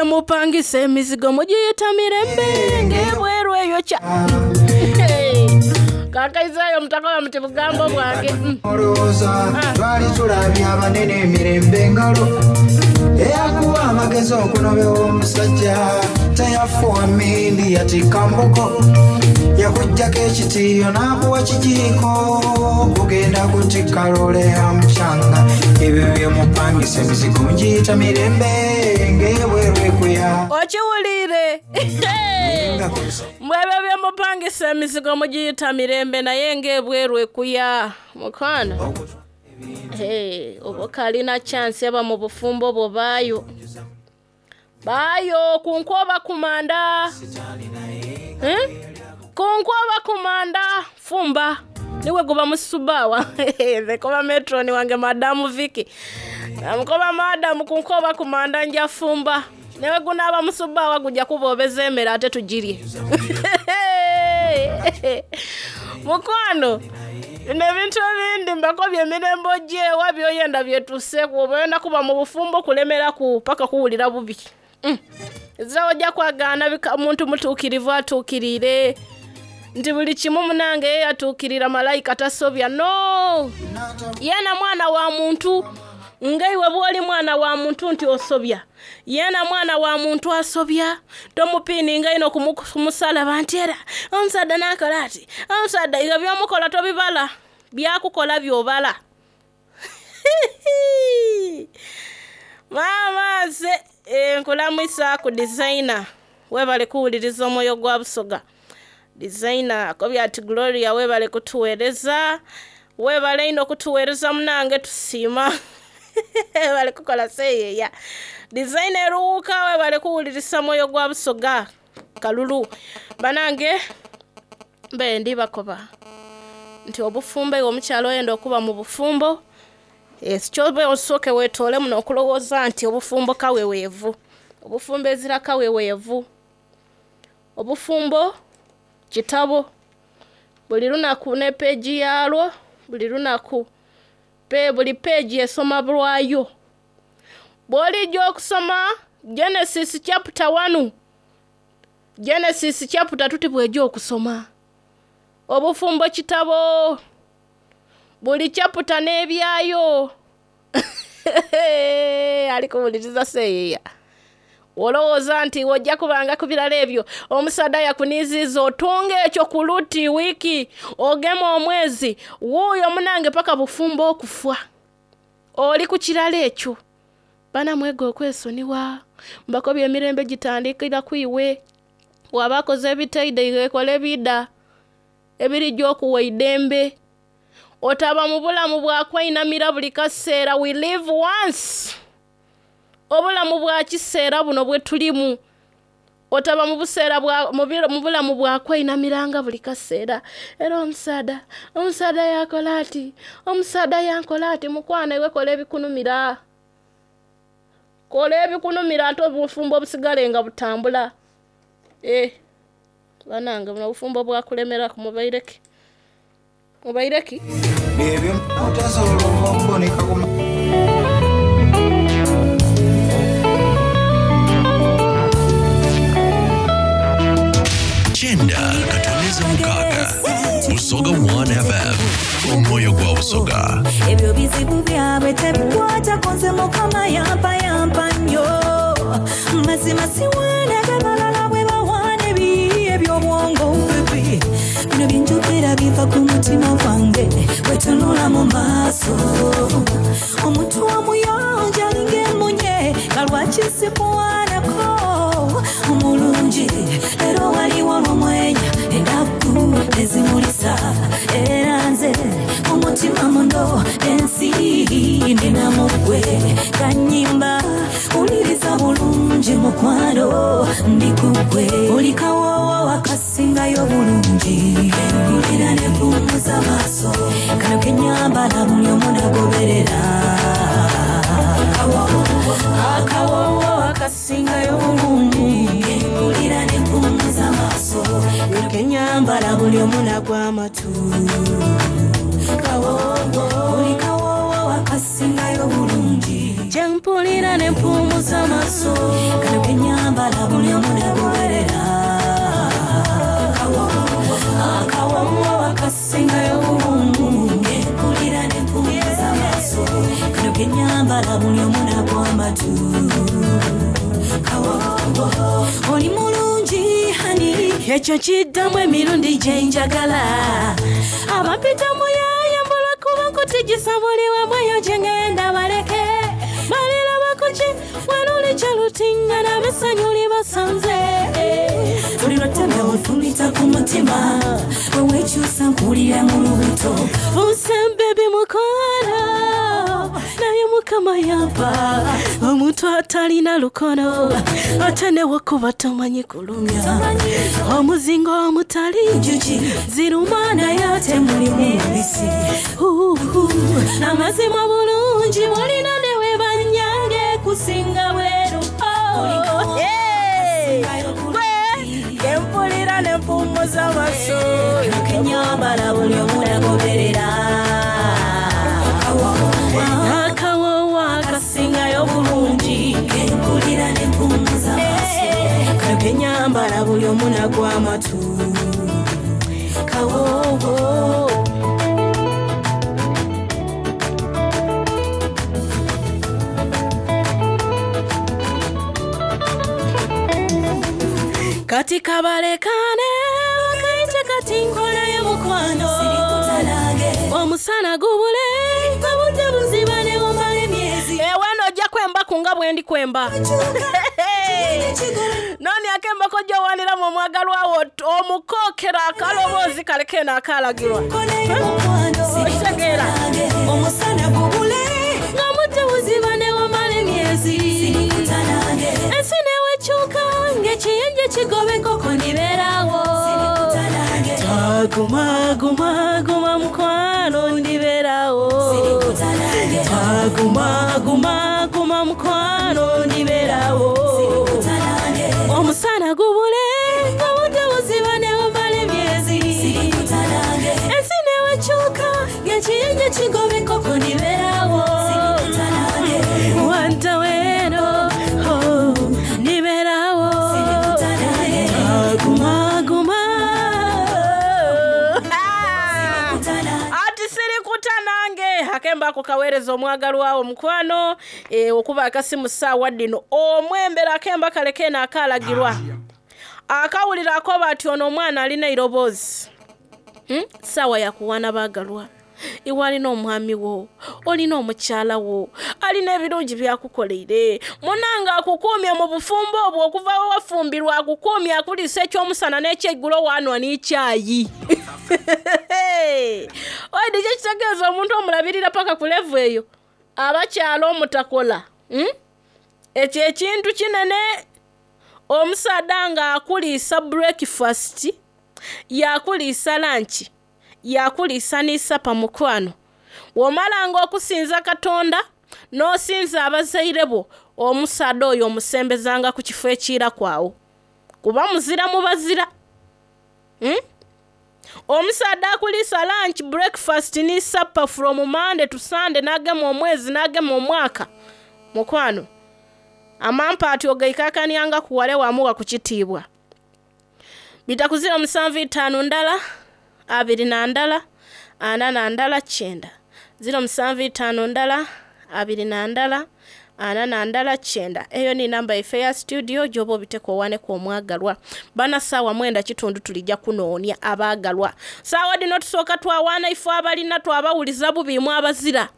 byemupangisa emizigo mugiyita mirembe ng'ebweru eyo kya kakaizayo mutakoba muti bugambo bwange. Olowooza twali tulabye abanene emirembe engalo eyakuwa amagezi okunobewa omusajja teyafuwa mindi yatikka mbuko yakuggyako ekitiiyo n'akuwa kijiiko kugenda kutikka loole ya mucanga ebyo byemupangisa emizigo mugiyita mirembe ng'ebweru ekuya. Okiwulire mbwebyo byemupangisa emizigo mugiyita mirembe naye ng'ebweru ekuya mukwano. Hey, oba kalina chance aba mu bufumbo bwo baayo baayo ku nkoba kumanda, eh? Ku nkoba kumanda fumba niwe guba musubawa. Nze koba metroni wange madamu Viki namukoba madamu ku nkoba kumanda nja fumba newe gunaaba musubawa gujja kuboobeza emmere ate tugirye. Mukwano bino ebintu ebindi mbako byemirembe ogyewa byoyenda byetuseku oba oyenda kuba mu bufumbo kulemeraku paka kuwulira bubi. Ezira ojja kwagaana omuntu mutuukirivu atuukirire nti buli kimu munange ye yatuukirira malayika tasobya no yena mwana wa muntu ngaiwe bwoli mwana wa muntu nti osobya yena mwana wa muntu asobya tomupiininga ino kumusalaba nti era omusadda nakola ati omusadda ebyo byomukola tobibala byakukola byobala. Maama nze nkulamwisa ku designer webale kuwuliriza omwoyo gwa Busoga. Designer akobya ati Gloria webale kutuweereza webale ino kutuweereza munange tusiima. Webale kukola seeyeya. Designer eruwuka webale kuwuliriza mwoyo gwa Busoga kalulu. Banange mbe ndi bakoba nti obufumbo iwe omukyalo oyenda okuba mu bufumbo ekyobe osooke weetoole muno okulowooza nti obufumbo kaweweevu obufumbo ezira kaweweevu obufumbo kitabo buli lunaku ne peegi yalwo buli lunaku buli peegi esoma lwayo bw'olijja okusoma Genesis chapter 1 Genesis chapter 2 tibwejja okusoma obufumbo kitabo buli chapter n'ebyayo. Alikuwuliriza seeyeya olowooza nti ojja kubanga ku birala ebyo omusadda yakuniziiza otunga ekyo ku luti wiiki ogema omwezi wuuyo munange paka bufumbo okufa oli ku kirala ekyo bana mwega okwesoniwa mbako byemirembe gitandikira kwiwe waba akoze ebitaide iwe ebida ebirijja okuwa eidembe otaba mu bulamu bwakweinamira buli kaseera. We live once obulamu bwa kiseera buno bwe tulimu otaba mu buseera mu bulamu bwakweyinamiranga buli kaseera era omusaada yakola ati omusaada yankola ati mukwano iwe kola ebikunumira kola ebikunumira ate obufumbo obusigale nga butambula. Banange buno obufumbo bwakulemeraku mubaireki mubaireki ebyo otasobola okuboneka ku 9.6 Busoga 1 FM omwoyo gwa Busoga. Ebyo bizibu byabwe tebikwatako nze Mukama yampa yampa nnyo mazima siwaanaga balala bwe bawaana ebiyiiye eby'obwongo bibi bino byenjogera biva ku mutima gwange wetunula mu maaso omuntu omuyonjo alinga emunye nga lwaki sikuwaanako omulungi leero waliwo olwomwenya ennaku ezimulisa era nze omutima muno ensi ndina mugwe kanyimba uliriza bulungi mukwano ndi kugwe oli kawoowo akasingayo bulungi mpulira ne mpumuza maaso kano kenyambala buli omu nagoberera akawoowo akasingayo bulungi mpulira ne mpumuza maaso kano kenyambala buli omu nagwa amatu oli kawoowo akasingayo bulungi gyempulira ne mpumuza maaso kano kenyambala Ekyo kiddamu emirundi gye njagala. Abampita muyaaye mbula kuba nkutigisa buli wamu eyo gye ngenda baleke. Baliraba ku ki waluli kye lutingana ab'essanyu libasanze. Buli lwotema onfumita ku mutima, bwe weekyusa nkuwulira mu lubuto. Fuuse baby mukwano, naye Mukama yampa omuntu atalina lukono, ate ne wakuba tomanyi kulumya. Omuzingo omutali Njuki ziruma naye ate mulimu mubisi. Uhu, amazima bulungi mulina ne we banyange kusinga bweru. Oh, hey! Gwe kempulira ne mpummuza amaso. Kenyambala buli omu nagoberera. Akawoowo akasingayo bulungi. Kenkulira ne mpummuza amaaso. Kano kenyambala buli omu nagwa amatu. Kawoowo. Kati kabalekane bakayite kati nkolayo mukwano. Sirikutanange. Omusana gubule obudde buziba ne bumala emyezi. Ewe nno ojja kwembaku nga bwe ndi kwemba. Noni akembako gy'owaniramu omwagalwa wo omukookera akaloboozi kale keeno akaalagirwa. Okitegeera? Omusana gubule. Ng'omudde buziba ne bumala emyezi. Sirikutanange. Ensi newekyuka ng'ekiyenje kigoba enkoko ndibeerawo. Sirikutanange. Guma guma guma mukwano ndibeerawo. Sirikutanange. Guma guma guma mukwano ndibeerawo. Sirikutanange. Omusana gubule obudde buziba ne bumala emyezi. Sirikutanange. Ensi newekyuka ng'ekiyenje kigoba enkoko ndibeerawo. Sirikutanange. Wantawero, oh, ndibeerawo. Sirikutanange. Guma guma. Ati sirikuta nange akemba ako kaweereza omwagalwawo mukwano okuba akasimu ssaawa ddino omwembera akemba kale keeno akaalagirwa akawulira akoba ati ono omwana alina eiroboozi. Ssaawa yakuwaana baagalwa. Iwe alina omwami wo, olina omukyala wo, alina ebirungi byakukoleire. Munange akukuumye mu bufumbo obwo okuva we wafumbirwa akukuumye akuliisa ekyomusana n'ekyeggulo waanwa n'ekyayi. Oidi kye kitegeeza omuntu omulabirira paka ku level eyo abakyala omutakola. Ekyo ekintu kinene omusaadha ng'akuliisa breakfast, yakuliisa lunch, yakuliisa ni supper mukwano. Bw'omalanga okusinza Katonda n'osinza abazaire bo, omusaadha oyo omusembezanga ku kifo ekiiraku awo. Kuba muzira mu bazira. Omusaadha akuliisa lunch, breakfast ni supper from Monday to Sunday n'agema omwezi n'agema omwaka. Mukwano, amampa ati ogaikakanianga kuwale wamuwa ku kitiibwa. Bita ku 07 ndala, 2 ndala, 4 ndala, 9. 07 ndala, 2 ndala, 4 ndala, 9. Eyo ni namba yaife ya studio gy'oba obiteko owaneku omwagalwa. Bana ssaawa 9:15 tulijja kunoonya abaagalwa. Ssaawa dhino tusooka twawaana ifo abalina twabawuliza bubi imwe abazira.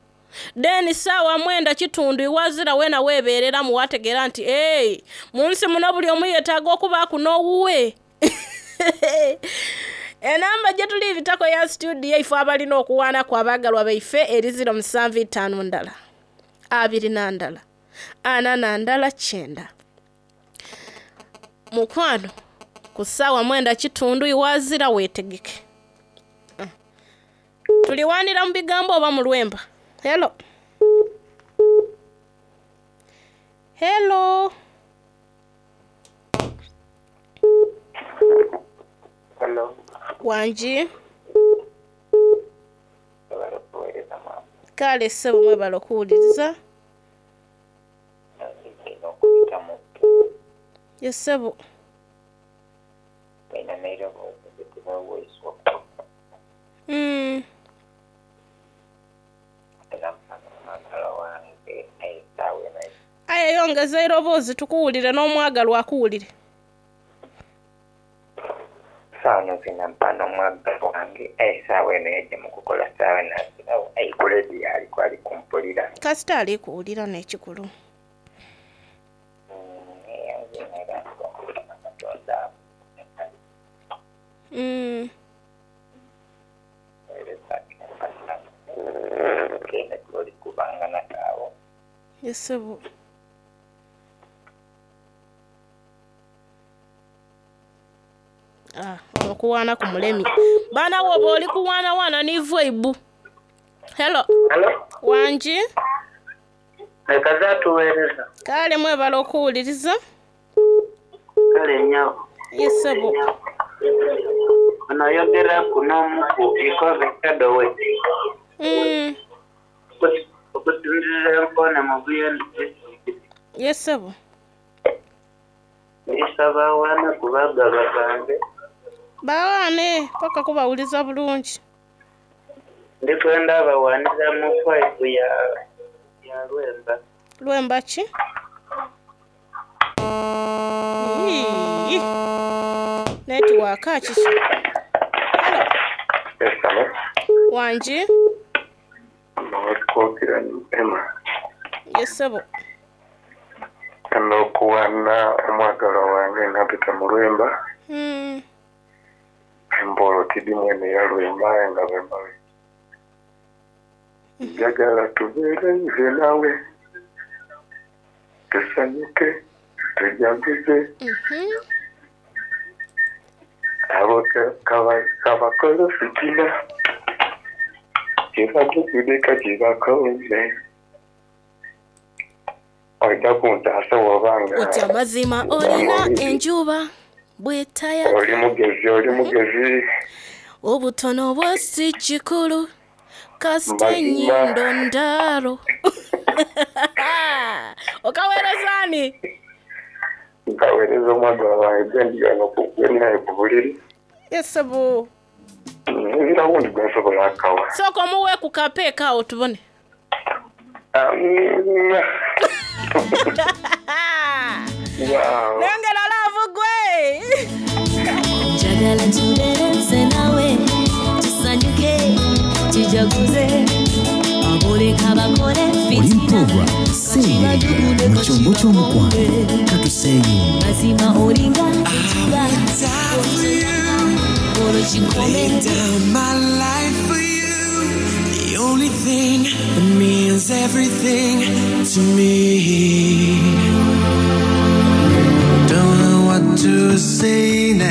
Then ssaawa 9:15 iwazira weena weebeereramu wategeera nti ee mu nsi muno buli omu yeetaaga okubaaku n'owuwe. Enamba gye tuli bitako ya studio ifo abalina okuwaanaku abaagalwa baife eri 07 ndala, 2 ndala, 4 ndala, 9. Mukwano, ku ssaawa 9:15 iwazira weetegeke. Tuliwaanira mu bigambo oba mu lwemba. Hello. Hello. Hello. Wangi. Webale okuweereza maama. Kale ssebo mwebale okuwuliriza. Nina okuyitamu. Ye ssebo. Nina n'eiroboozi litibwa voice Era omwagalwa wange essaawa eno. Aye yongeza eiroboozi tukuwulire n'omwagalwa akuwulire. Sawa zino mpano omwagalwa wange aye saawa eno yajja mu kukola saawa eno azirawo aye ku leediyo aliko ali kumpulira. Kasita ali kuwulira n'ekikulu. Eyanze era nkuba Katonda kene tuli kubanga nakaawo. Yesebo. Ah, okuwaana ku mulemi. Baana woba oli kuwaanawaana n'ivu eibu. Hello. Halo, Wangi? leka zatuweereza. Kale mwebala okuwuliriza. Kale nnyabo. Yesebo. Ono ayogera ku n'omuku ikobe kadowe. Okusinziira enkoona mu Buyende disitulikiti. Yesebo. Ndisaba awaana ku bagaba bange. Bawaane paka kubawuliza bulungi. Ndikwenda abawaanira mu faivu ya Lwemba. Lwemba ki? Ii. Netiwaaka kiki? Hello. Yes, hello. Wangi? Nowakwogera Emma. Yesebo. N'okuwaana omwagalwa wange nampita mu Lwemba. Embolo tidi mwene ya Lwemba nga Lwemba we. Njagala tubeere nze nawe. Tusanyuke, tujaguze. Abo kabakole fitina. Kyebatugudeka kyebakoze. Ojja kuntaasa bw'obanga Oti amazima olina enjuba bwetaya. Oli mugezi, oli mugezi. Obutono bwo si kikulu kasita Mazima. ennyindo ndaalo. Okaweereza ani? Nkaweereza omwagalwa wange gwe gwe naye ku buliri. Yesebo. Nzira wundi gwe nsobola akawa. Sooka omuwe ku kapeeka awo tubone. Wow. Nengera laavu gwe. Njagala tubeere nze nawe tusanyuke tujaguze aboleka bakole Oli mu program Seeyeeya mu kyombo ky'omukwano. Katuseeyeeye. Mazima olinga enjuba olwo kikome. Lay down my life for you. The only thing that means everything to me. Don't know what to say now.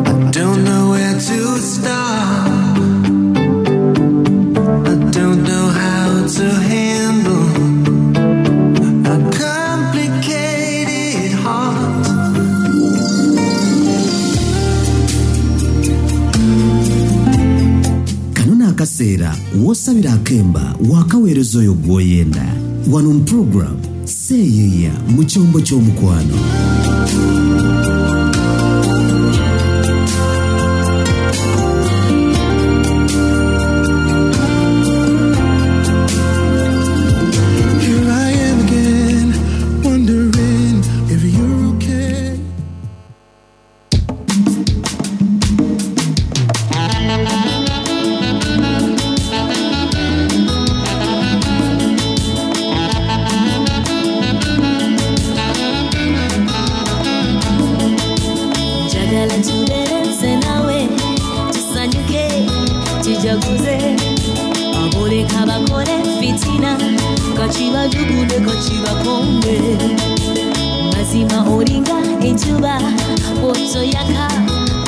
I don't know where to start. I don't know how to handle a complicated heart. Kano n'akaseera w'osabira akemba wakaweereza oyo gw'oyenda. Wano mu program Seeyeeya mu kyombo ky'omukwano. Here I am again, wondering if you're okay. Njagala tubeere nze nawe tusanyuke tujaguze aboleka bakole fitina kakibajugude kakibakombe mazima olinga enjuba bw'otoyaka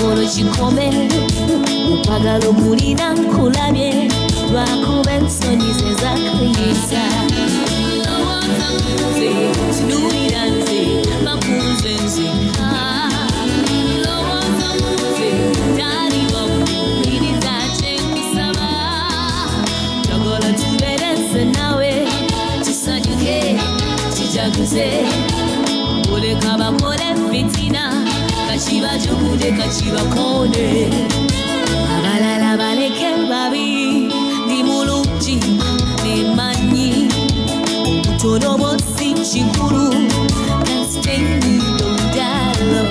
olwo kikome okwagala okulina nkulabye lwakuba ensonyi ze zakuyisa. Lowooza nze, tunuulira nze, bakunze nzekka. Lowooza nze, tali wakuwuliriza kye nkusaba. Njagala tubeere nze nawe, tusanyuke, tujaguze. Oleka bakole fitina, kakibajugude kakibakonde. Abalala baleke babi, ndi mulungi nemanyi. Obutono bwo si kikulu, kasita ennyindo ndaalo.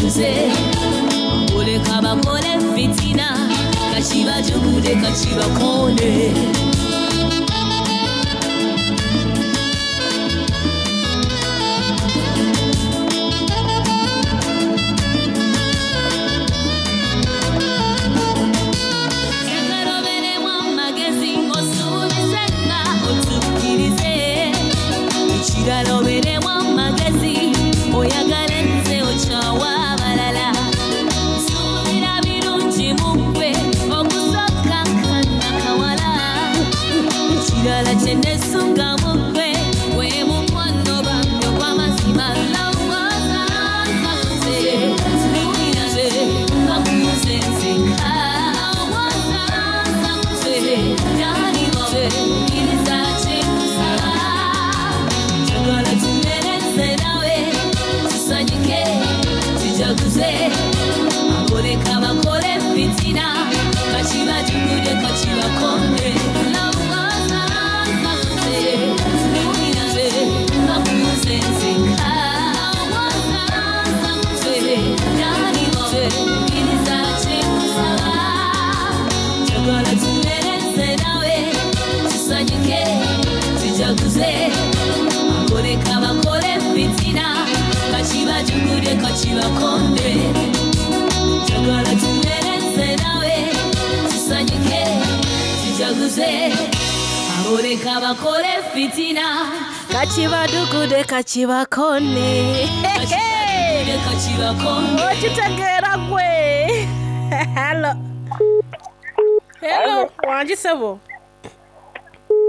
Tujaguze oleka bakole fitina kakibajugude kakibakone. Njagala obeeremu amagezi osuubize nga otuukirize. Ekirala obeeremu amagezi oyagale nze okyawa abalala. Nsuubira birungi mu ggwe okusooka kannakawala. Ekirala kye neesunga mu ggwe gwe mukwano bambi ogw'amazima. Lowooza nze, wulira nze, bakuze nzekka. Lowooza nze, ddali nze, kkiriza kye nkusaba. Njagala tubeere nze nawe, tusanyuke, tujaguze. Aboleka bakole fitina, kakibajugude kakibakonde. Lowooza nze, wulira nze, bakuze nzekka. Lowooza nze, ddali nze, kkiriza kye nkusaba. Njagala tubeere nze nawe, tusanyuke, tujaguze. Aboleka bakole fitina, kakibajugude kakibakonde. Njagala tubeere nze nawe, tusanyuke, tujaguze. Aboleka bakole fitina, Kakibadugude kakibakone. kakibajugude kakibakonde. Okitegeera gwe. Hello. Hello, wangi ssebo.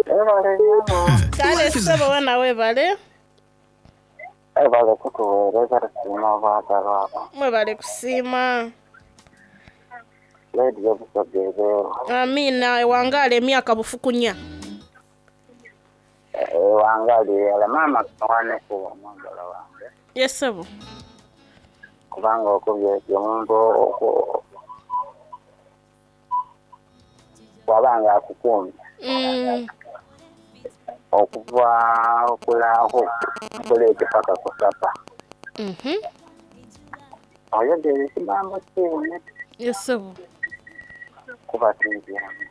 Ebale nyabo. Kale ssebo wena weebale. Ebale kutuweereza tusiima obwagalwa abo. Mwebale kusiima. Leediyo Busoga ebeewo. Amiina ewangaala emyaka bufukunya. Ewangaali yala maama kawaneko omwagala wange. Yes ssebo. Kubanga okubye ekyo omuntu bw'aba nga akukuumye okuva okulaaho kuleete paka kusapa. Oyogera ekigambo kiine Yes ssebo. kuba ti byangu.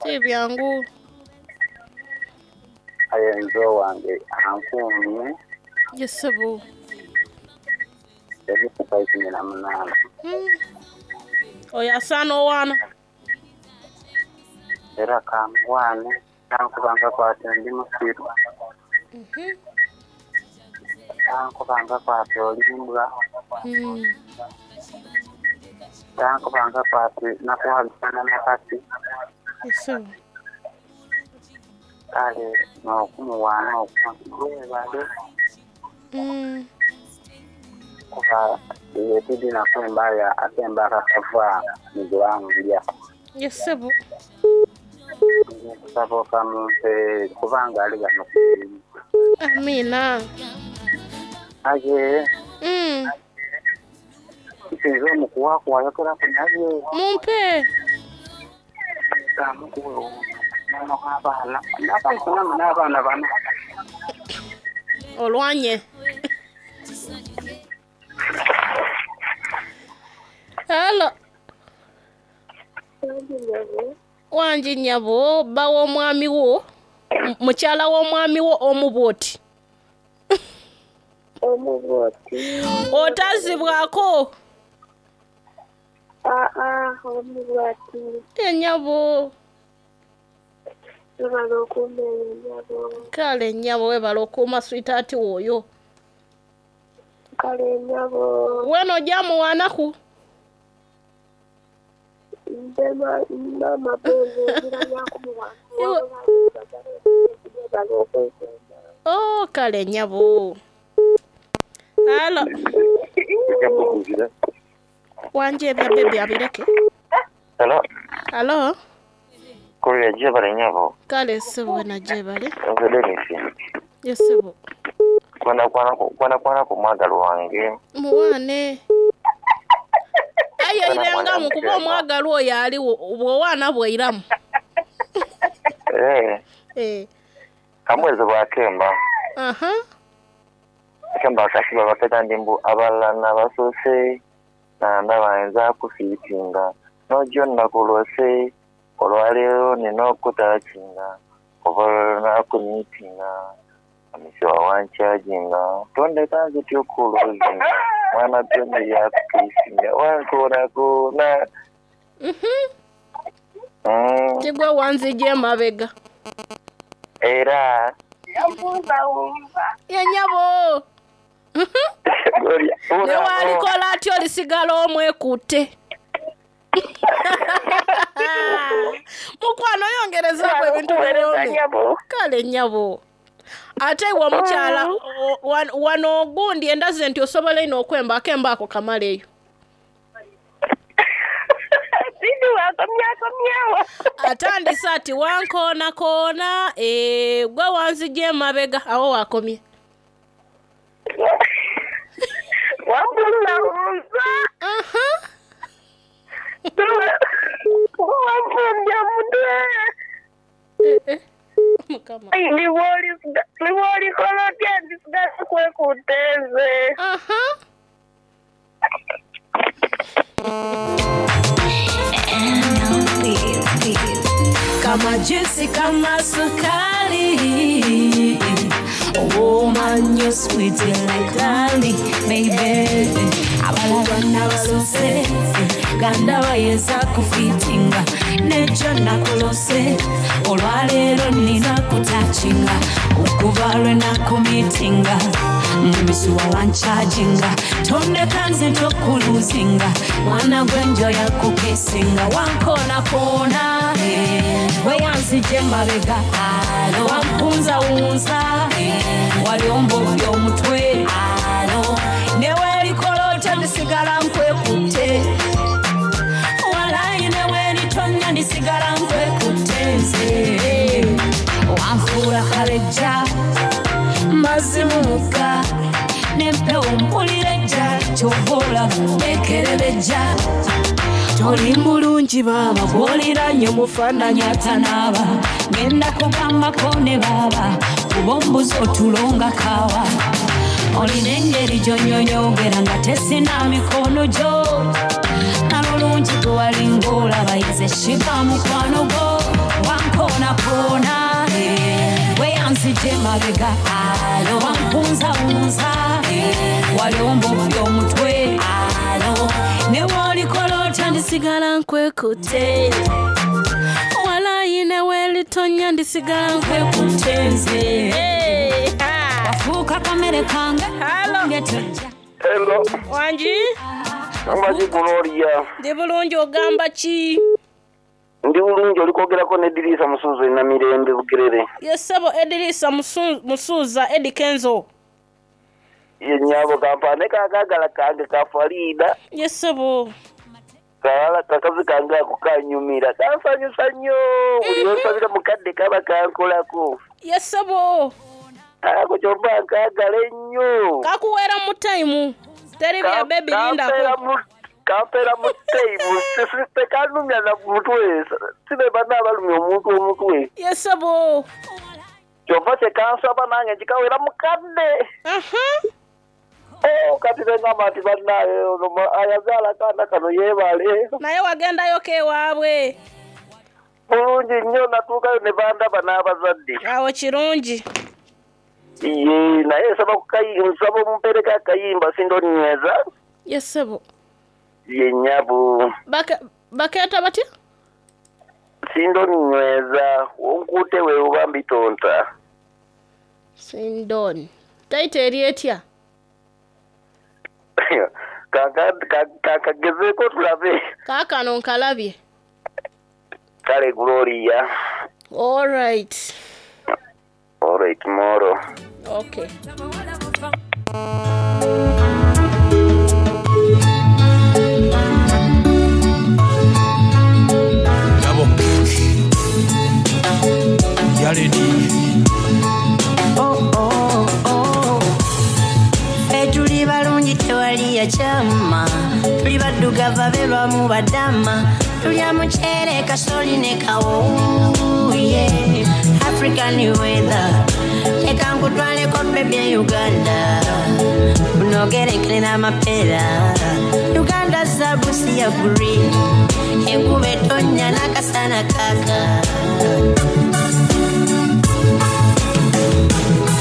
Si byangu. Aye nze owange ankuumye Yes ssebo. emyaka 18. Oyo asaana owaana. Era kamuwaane tankubanga kwati ndi musiru. Tankubanga kwati olimbwa. Tankubanga kwati nakuwagana nakati. Yes ssebo. Kale n'okumuwaana okwo weebale kuba yetudina kwembaya akemba akakava mu gwanga. Yes ssebo. Nkusaba okamumpe kubanga ali wano. Amiina. Aye nsinze omukuwaku wayogeraku naye. Mumpe. Kamukuwe mama w'abaana. N'abaana n'abaana bano. Olwanye. Hello. Wangi nnyabo bba w'omwami wo mukyala w'omwami wo omu bw'oti. Omu bw'oti. Otazibwako. Aa, omu bw'ati. Nnyabo. Webale okuuma eyo nnyabo. Kale nnyabo weebale okuuma sweetheart wo oyo. Kale nnyabo. Weena ojja muwaanaku. Nze maama Benzo nzira lyakumuwaana. Webale okwekuuma. Oh, kale nnyabo. Hello. Wangi ebya baby abireke. Hello, Hello. kulira gyebale nnyabo. Kale ssebo wena gyebale. Nze Dennis. Yes ssebo. Kwana ku mwagalwa wange. Muwaane. Aye irengamu kuba omwagalwa oyo aliwo bw'owaana bweiramu. Kamwezi bwakemba. Aha. Akemba akasiba baketa ndi mbu abalala nabasoose. Nandaba nza kufiitinga Nojjo nakulose Olwaleero nina okutakinga Oba olwo nakumiitinga Amisiwa wankyajinga Tondeka nzityo okuluzinga Mwana gwe yakukiisinga Wankoonakona. Tigwe wanzija emabega. Era Ye nnyabo. Ne walikola atya olisigala omwekutte. Mukwano yongerezaako ebintu biwoomi. Kale nnyabo. Ate iwe omukyala wano ogundi endaze nti osobola ino okwemba akemba ako kamaleyo. Atandise ati wankoonakoona gwe wanzija emabega awo wakomye. Wambuzabuza. Wampumbya mutwe. Niwolikola otya ndisigala kwekuteeze. Kama juice kama sukari. Oh man, you're sweet like honey, baby. Abalala basose ganda bayeza kufitinga nejo nakulose olwaleero nina kutakinga okuva lwe nakumitinga mumisuwa wankyajinga tondeka nze tokuluzinga mwana gwenjoya kukisinga wankoonakona weyanzije emabega wampunzawunza wali ombobya omutwe newerikola otya ndisigala nkwekutte walayi neweritonya ndisigala nkwekutte nze wanfuula kalejja mazimu mugga nempewo mpulira ejja kyova olaba nekerebejja toli mulungi baaba gwoliranye omufaananyi atanaaba ngenda kugambako ne baaba kuba ombuzi otulonga kaawa olina engeri gy'onyonyogera nga tesina mikono gyo nalulungi gwe walinga olaba yeze shiba mukwano gwo wankoonakona weyanzije emabega wampunzawunza wali ombobya omutwe newolikola otya ndisigala nkwekutte walayi newelitonya ndisigala nkwekutte nze wafuuka kamere kange. Hello. Wangi? Amaki Gloria. Ndi bulungi ogamba ki? Ndi bulungi oli kwogerako ne Edirisa Musuuza e Namirembe Bugerere. Ye ssebo Edirisa Musuuza Eddy Kenzo. Ye nnyabo kampaane kaakaagala kange ka Farida. Ye ssebo. Kakazi kange ako kanyumira kansanyusa nnyo buli lwensabira mukadde kaba kankolako. Ye ssebo. Ako kyova nkaagala ennyo. Kakuweera mu tayimu. Teri bya baby lindako. Kampeera mu tayimu tekanumya na mutwe sibe banna abalumya omuntu omutwe. Ye ssebo. Kyova kye kansaba nange nkikawera mukadde. Kati nengamba nti bannaaye ono ayazaala akaana kano yeebale. Naye wagendayo ewaabwe. Bulungi nnyo natuukayo ne bandaba n'abazadde. Awo kirungi. Ye naye nsaba omumpeereko akayimba sindonyweza. Ye ssebo. Ye nnyabo. Bakeeta batya? Sindonyweza onkuute weewoba mbitonta. Sindoni. Tayita eri etya? Kakagezeeko tulabe. Kaakano nkalabye. Kale Gloria. All right. All right, tomorrow. Okay. Double kick. Yaledi. Oh, oh, oh. Tuli balungi tewali yakyama tuli baddugavu abeerwamu badama tulya muceere kasoli ne kawo yeah. African weather leka nkutwaleko baby e Uganda unogerekere n'amapeera Uganda zaabu si ya green, enkuba etonnya n'akasana kaaka.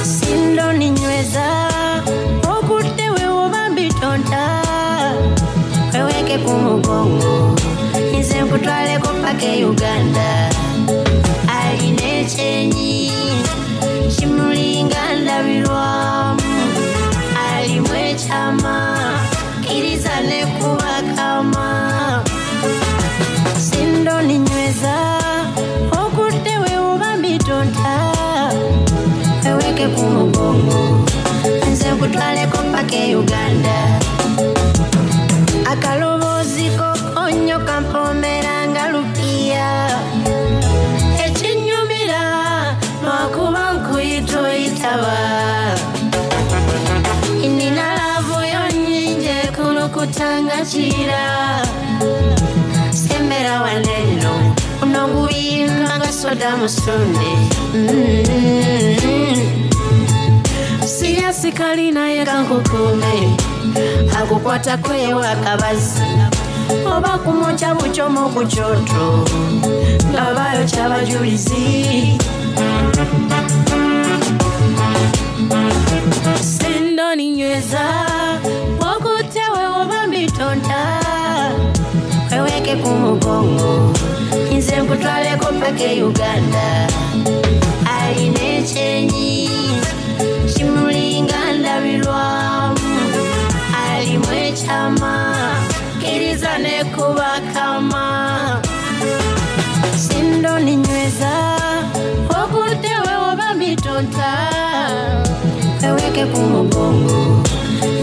Sindoni nyweza okudde wewoba mbitonta, weweke ku mugongo nze nkutwaleko paka e Uganda. Alina ekyenyi kimulinga ndabirwamu, alimu ekyama kkiriza nekubakama. Sindoni nyweza okudde wewoba mbitonta, weweke ku mugongo nze nkutwaleko paka e Uganda. Akaloboozi kokonyo kampomera nga lupiya, ekinyumira lwakuba nkuyita oyitaba. Nina laavu yo nnyingi ekulukuta nga kira, sembera waneno uno guyimba nga soda musunde. Siyasikali naye kankukume, akukwatako ewa akabazi oba kumwokya bukyomo ku kyoto nga bayokya abajulizi. Sindoni nyweza okutte wewoba mbitonta, weweke ku mugongo nze nkutwaleko paka e Uganda. Alina ekyenyi kimulinga ndabirwamu, alimu ekyama kkiriza nekubakama. Sindoni nyweza okudde wewoba mbitonta, weweke ku mugongo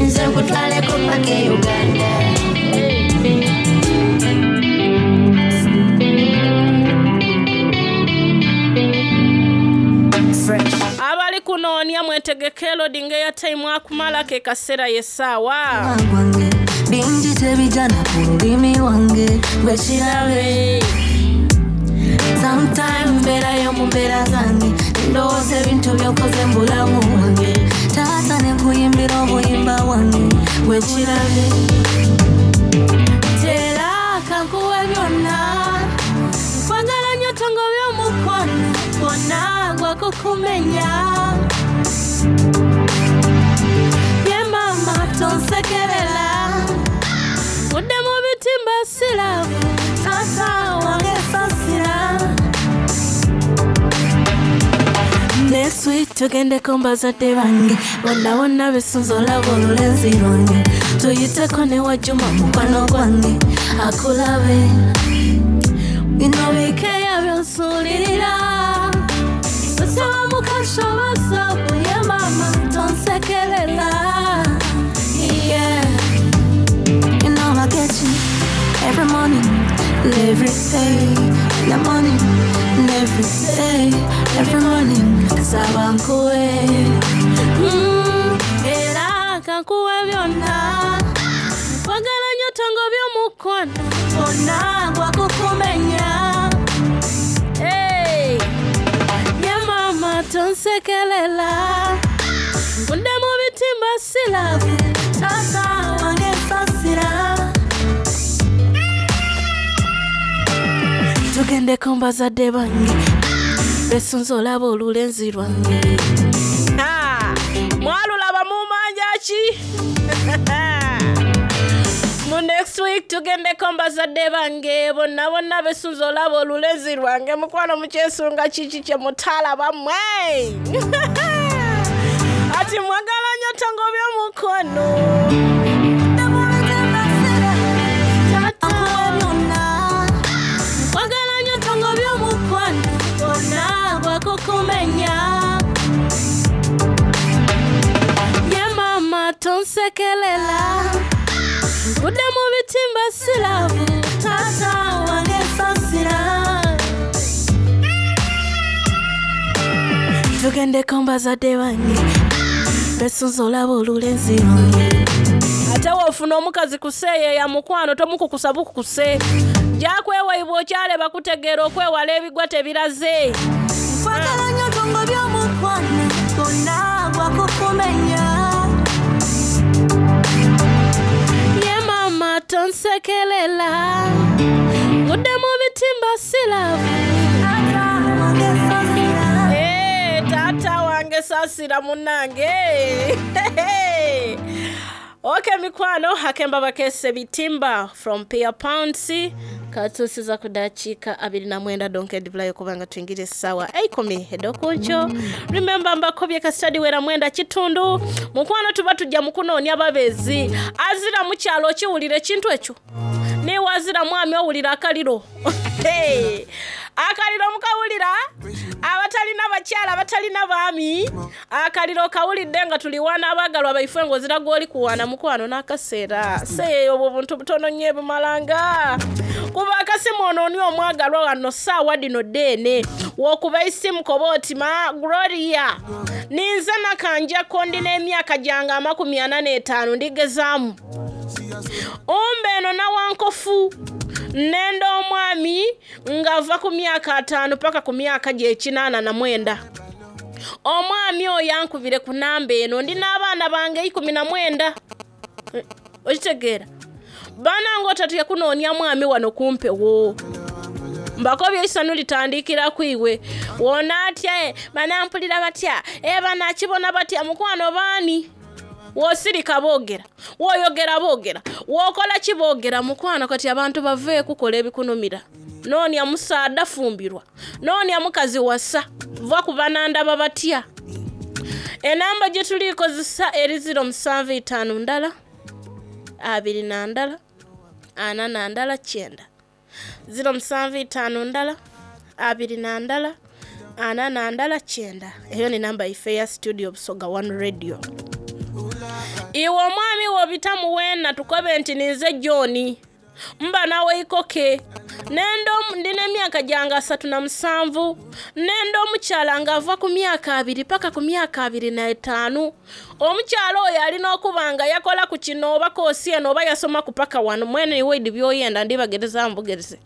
nze nkutwaleko paka e Uganda. Abali kunoonya mwetegeke loading airtime akumala ke kaseera y'essaawa. Bingi tebijana ku lulimi lwange bwekirabe. Sometime mbeerayo mu mbeera zange, ndowooza ebintu by'okoze mu bulamu bwange. Taata ne nkuyimbira obuyimba bwange bwekirabe. Tera kankuwe byonna, nkwagala nnyo tongo by'omukwano gwonna gwakukumenya. Ye maama tonsekerera, udde mu bitimba sirabu, taata wange saasira. Next week tugendeko mbazadde bange, bonna bonna besunze olaba olulenzi lwange. Tuyiteko ne Wajuma mukwano gwange akulabe. Bino bikeya byonsuulirira, osaba mukasha wasabu. Ye mama tonsekerera. Yeah. You know I get you every morning and every day. In the morning and every day, every morning. Saba nkuwe, era kankuwe byonna. Nkwagala nnyo tongo by'omukwano gwonna gwakukumenya. Hey! Ye mama tonsekerera, nvudde mu bitimba sirabu, taata wange saasira. Tugendeko mbazadde bange, besunze olaba olulenzi lwange. Mwalulaba mumanja ki? Mu next week tugendeko mbazadde bange bonna bonna besunze olaba olulenzi lwange. Mukwano mukyesunga kiki kye mutalaba mmwe? Ati mwagala nnyo tongo by'omukono. Mwagala nnyo tongo by'omukwano gwonna gwakukumenya. Ye mama tonsekerera, nvudde mu bitimba sirabu, taata wange saasira. Tugendeko mbazadde bange, besunze olaba olulenzi lwange. Ate w'ofuna omukazi kuseeyeeya mukwano tomukukusa bukukuse. Gyakwewaibwa okyaleba kutegeera okwewala ebigwa tebiraze. Nkwagala nnyo tongo by'omukwano gwonna gwakukumenya. Ye mama Nsekelela Ngudde mu bitimba silavu. Eh, taata wange saasira munnange. Okay, mikwano hakemba bakese bitimba from Pia Pounds katusiza ku dakiika 29 donke edivulayo kubanga tuyingire essaawa 10 ed'okunkyo. Remember mbakobye kasitadi wera 9:15 mukwano tuba tujja mukunoonya babeezi azira mukyalo okiwulira ekintu ekyo niwe azira mwami owulira akaliro. Hey, akaliro mukawulira abatalina bakyala abatalina baami akaliro kawulidde nga tuliwaana abaagalwa baife ng'ozira gw'oli kuwaana mukwano n'akaseera seeyo obwo buntu butono nnyo ebumalanga kuba akasimu onooni omwagalwa wano saawa dino deene w'okuba isimu koba oti ma Gloria ninze nakanjako ndi n'emyaka gyange 45 ndigezaamu umbe eno nawankofu nenda omwami ng'ava ku myaka 5 paka ku myaka gye 89. Omwami oyo ankubire ku namba eno ndi n'abaana bange 19. Okitegeera banange otatya kunoonya mwami wano kumpewo mbakobye isanu litandikira kwiwe wona atya banampulira batya banakibona batya mukwano baani wosirika boogera woyogera boogera wokola ki boogera mukwano kati abantu bave kukola ebikunumira noonya musaada fumbirwa noonya mukazi wasa va ku banandaba batya. Enamba gye tuliikozesa eri 075 ndala 21 41 9 075 ndala 21 41 9. Eyo ni namba ife ya studio Busoga One Radio. Iwe omwami wobita muwena tukobe nti ninze John mba nawe ikoke nendo ndina emyaka gyange 37 nendo omukyala ng'ava ku myaka 2 paka ku myaka 25. Omukyala oyo alina okuba nga yakola ku kino oba koosi eno oba yasoma ku paka wano mwene niwe idi byoyenda ndibagereza mbugereze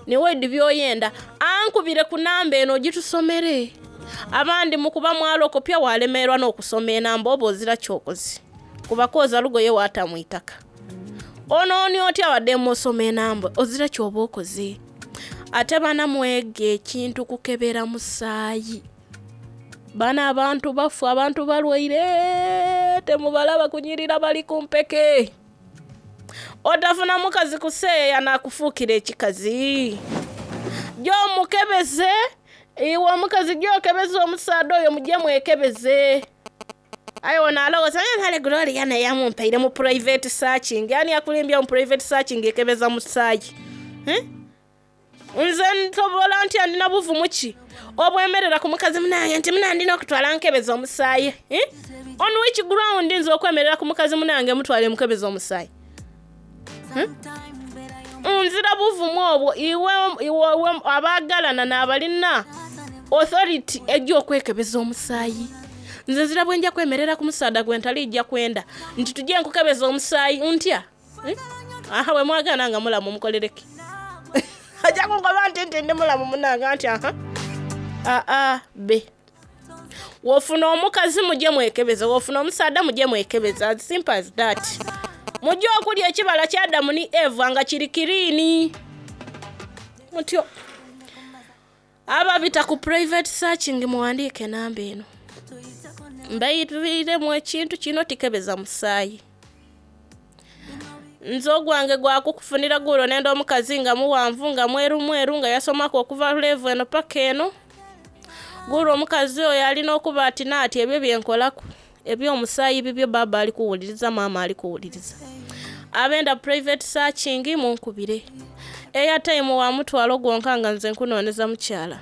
niwe idi byoyenda ankubire ku namba eno ogitusomere. Abandi mukuba mwalokopya walemerwa n'okusoma enamba oba ozira kyokozi kuba kwoza lugoye waata mu itaka. Onooni otya wadde musoma enamba ozira kyoba okoze. Ate bana mwege ekintu kukebera musaayi. Bana abantu bafu abantu balwaire temubalaba kunyirira bali ku mpeke. Otafuna mukazi kuseeya nakufuukira ekikazi. Gy'omukebeze iwe omukazi gy'okebeze omusaada oyo mujje mwekebeze. Aye ono alowooza mpale Gloria naye amumpaire mu private searching. Ani akulimbya mu private searching ekebeza musaayi? Nze ntobola nti andina buvumu ki obwemerera ku mukazi munange nti munandina okutwala nkebeza omusaayi. On which ground nze okwemerera ku mukazi munange mutwale mukebeza omusaayi? Nzira buvumu obwo iwe abaagalana n'abalina authority ejja okwekebeza omusaayi. Nze nzira bwe nja kwemerera ku musaada gwe ntali kwenda nti tujje nkukebeza omusaayi ntya. Aha bwe mwagana nga mulamu mukolereke. Ajja kungoba nti nti ndi mulamu munange nti aha aa be wofuna omukazi mujje mwekebeze wofuna omusaada mujje mwekebeze as simple as that. Mujje okulya ekibala kya Adamu ni Eva nga kiri kirini mutyo. Ababita ku private searching muwandiike namba eno mbayiriremu ekintu kino tikebeza musaayi. Nze ogwange gwakukufunira gulo nenda omukazi nga muwanvu nga mweru mweru nga yasomako okuva level eno paka eno. Gulo omukazi oyo alina okuba ati naati ebyo byenkolaku eby'omusaayi bibyo baba ali kuwuliriza maama ali kuwuliriza. Abenda private searching munkubire. Airtime wa mutwalo gwonka nga nze nkunooneza mukyala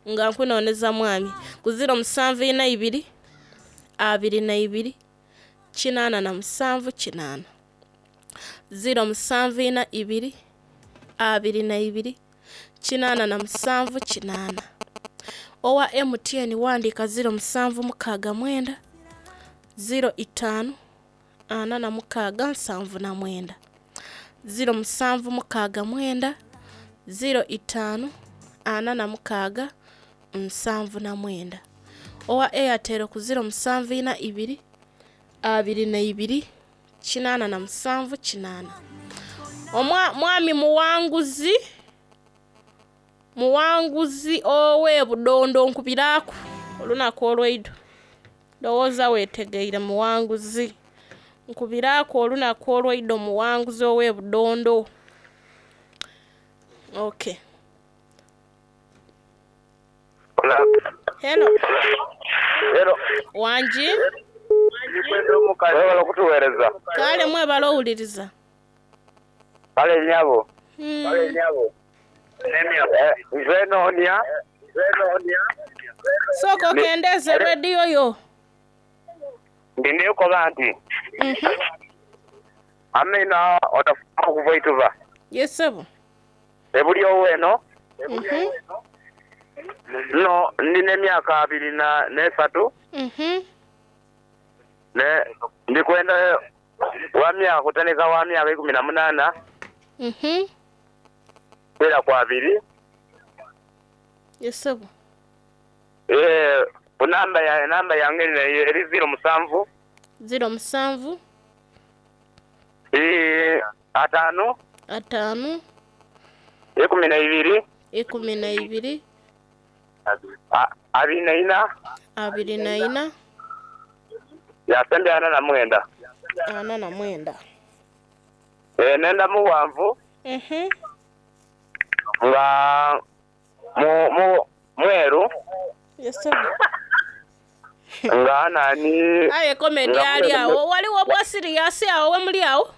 nga nkunooneza mwami ku 0742 22 87 8 0742 22 87 8. Owa MTN wandiika 0769 05 46 79 0769 05 46 79. Owa Airtel ku 0742 22 87 8. Mwami muwanguzi muwanguzi owe Budondo nkubiraku olunaku olweido. Ndowooza wetegeire muwanguzi. Nkubiraku olunaku olweido muwanguzi owe Budondo. Okay. Hello. Hello. Wangi? Webale okutuweereza. Kale mwebale owuliriza. Kale nyabo. Nze noonia. Sooka okendeeze rediyo yo. Ndi nekoba nti amina otafuna okuva ituva. Yes sebo. Ebuli oweno. No ndina emyaka 23. Ne ndikwenda wa myaka kutandika wa myaka 18. Kwera kwa 2. Yes sebo. Namba yange eri 07. 07. 5. 5. 12. 12. 24. 24. Yasembya 49. 49. Nenda muwanvu. Nga mweru. Yes sir. Nga nani. Aye komedi ali awo. Waliwo bwa serious awo we muli awo?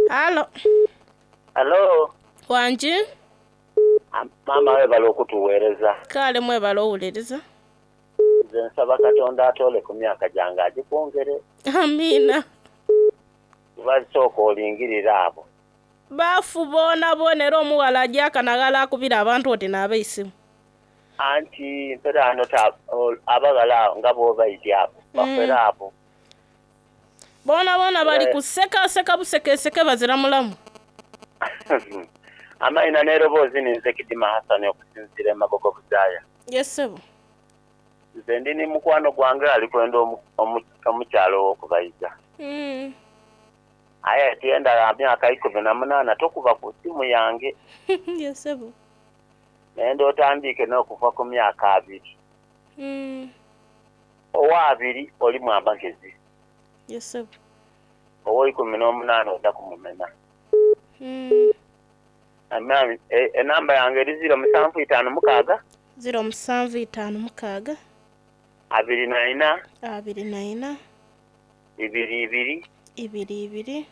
Halo. Halo. Wangi? Mama webale okutuweereza. Kale mwebale owuliriza. Nze nsaba Katonda atole ku myaka gyange agikwongere. Amina. Kuba sooka olingirira abo. Bafu boona boona era omuwala ajja akanagala akubira abantu oti n'abeisimu. Anti mpera ano abaghala nga bw'obaidi abo bafera abo. Boona boona bali kusekaseka busekeseke bazira mulamu. Amaina n'eroboozi ninze Kidima Hassan okusinziira e Magogo Buzaaya. Yes sebo. Nze ndi ni mukwano gwange ali kwenda omukyalo ow'okubayiza. Aye tiyenda ya myaka 18 tokuba ku simu yange. Yes sebo. Nenda otandike n'okuva ku myaka 2. Owa 2 olimu amagezi. Yes sebo. Owa 18 odda kumumena. Enamba yange eri 0756. 0756. 24. 24. 22. 22.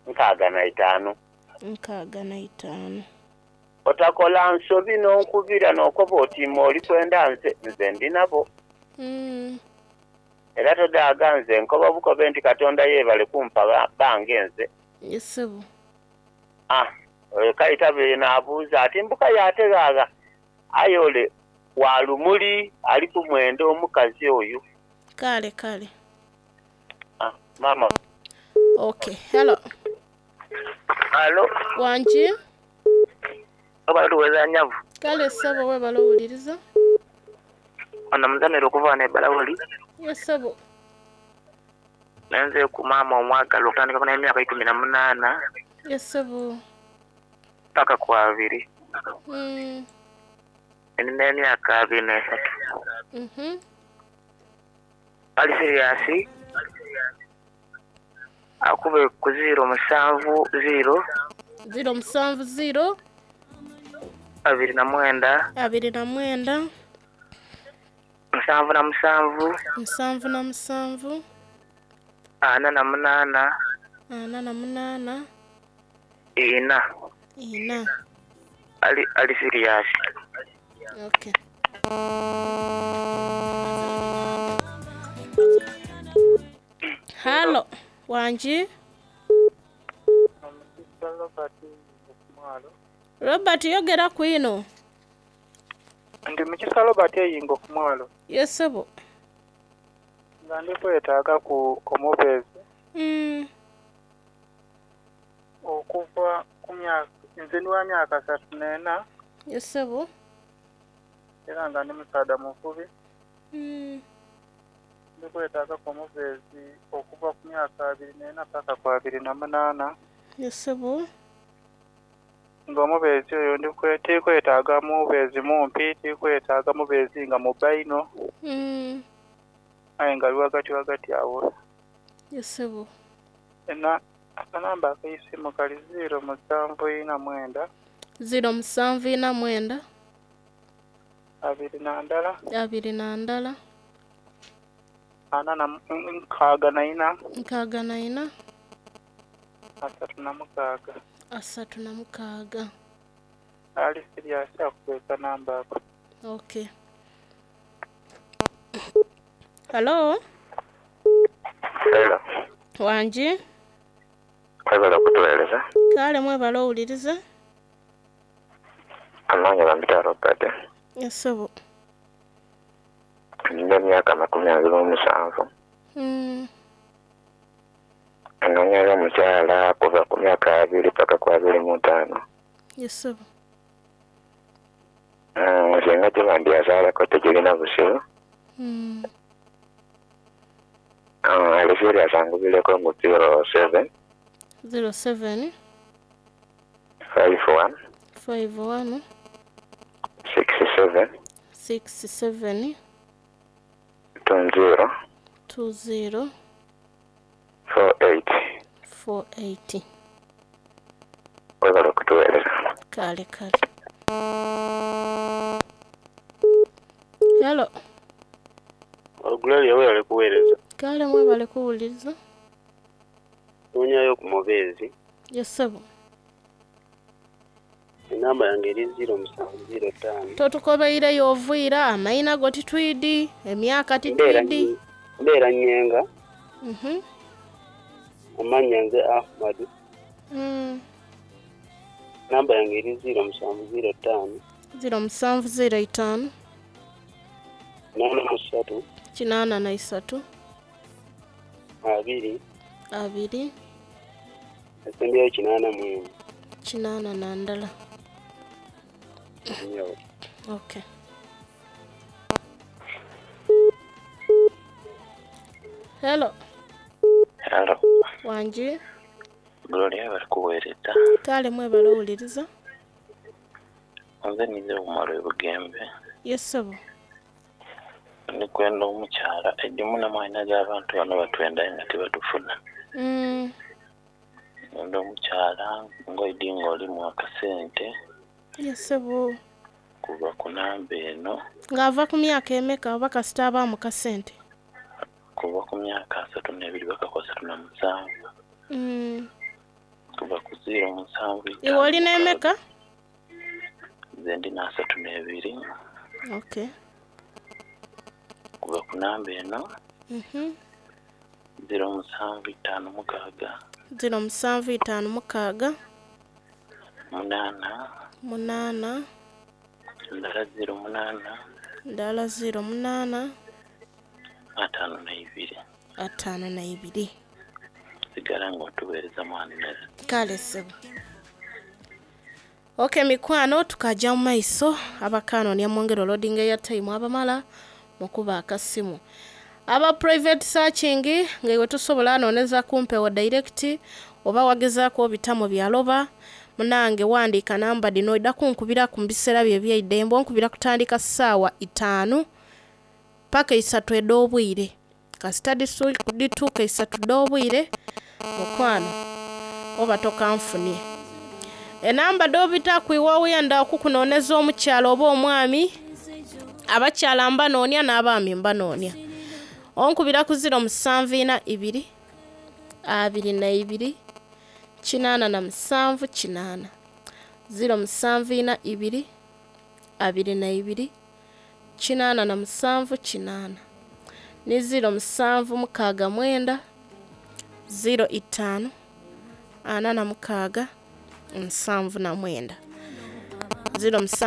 65. 65. Otakola nsobi n'onkubira n'okoba oti oli kwenda nze nze ndi nabo. Era todaaga nze nkoba bukobe nti Katonda yeebale kumpa bange nze. Yes sebo. Kayita naabuuza ati mbuka yategaaga aye ole walumuli ali kumwenda omukazi oyo. Kale kale. Mama. Okay, hello. Hello. Wangi? Oba nyavu. Kale sebo webale owuliriza. Ono muzamira okuva ne Balawoli. Yes sebo. Nenze ku maama omwagala okutandika ku n'emyaka 18. Yes sebo. Paka ku 2. Nina emyaka 23. Ali serious. Akube ku 070. 070. 29. 29. 77. 77. 48. 48. 4. 4. Ali serious. Okay. Halo, wangi? Robert yogera kwino. Ndi mukisa Robert eyingo ku mwalo. Yes sebo. Nga ndi kwetaaga ku omubeezi. Okuva ku myaka nze ndi wa myaka 34. Yes sebo. Era nga ndi musaadha muvubi. Ndi Ndikwetaagaku omubeezi okuva ku myaka 24 paka ku 28. Ye ssebo. Nga omubeezi oyo tiri kwetaaga mubeezi mumpi, tiri kwetaaga mubeezi nga mubba inho. Aye nga ali ghagati ghagati agho. Ye ssebo. Akanamba ak'eisimu kali ziiro musanvu inha mwenda. Ziiro musanvu inha mwenda. 21. 21. Ana na nkaaga na ina. 64. 36. 36. Ali siriasi akube akanamba ako. Okay. Halo. Hello. Wangi. Mwebale okutuweereza. Kale mwebale owuliriza. Amannya bampita Robert. Ye ssebo. Nina emyaka 27. Anonyayo omukyala kuva ku myaka 20 paka ku 25. Ye ssebo. Singa giba ndi yazaalako tigirina buzibu. Ali serious angubireku mu 07. 07. 51. 51. 67. 67. 20. 20. 48. 48. Webale okutuweereza. Kale kale. Hello. Gloria webale kuweereza. Kale mwebale kuwuliriza. Noonyayo ku mubeezi. Ye ssebo. Enamba yange eri 0705. Totukobeireyo oviira, amaina go titwidi, emyaka titwidi. Mbeera Nyenga. Amannya nze Ahmadu. Namba yange eri 0705. 0705. 83. 83. 2. 2. Esembyeyo 81. 81. Okay. Hello. Hello. Wangi. Gloria webale kuweereza. Kale mwebale owuliriza. Nze ninze Umar e Bugembe. Ye ssebo. Ndi kwenda omukyala egimu n'amaina g'abantu bano batwenda aye nga tibatufuna. Nenda omukyala ng'oidi ng'olimu akasente. Ye ssebo. Kuva ku namba eno. Ng'ava ku myaka emeka oba kasita abaamu kasente? Kuva ku myaka 32 paka ku 37. Kuva ku 07. Iwe olina emeka? Nze ndina 32. Okay. Kuva ku namba eno. 0756. 0756. 8. 8. Ndala 08. Ndala 08. 52. 52. Sigala ng'otuweereza mwana. Kale ssebo. Okay mikwano tukajja mu maiso abakanoonya mwongere loading airtime abamala mukuba akasimu. Aba private searching nga iwe tusobola anooneza kumpewo direct oba wagezaako obitamu byaloba munange wandiika namba dino idda kunkubira ku biseera bye ebyeidembe onkubira kutandika ssaawa 5 paka 3 ed'obwire. Kasita dituuka 3 d'obwire mukwano oba tokanfunie. Enamba d'obita kwiwa oyenda okukunooneza omukyala oba omwami, abakyala mbanoonya n'abaami mbanoonya. Onkubira ku 0742 22 87 8 0742 22 87 8 ni 0769 05 46 79 0769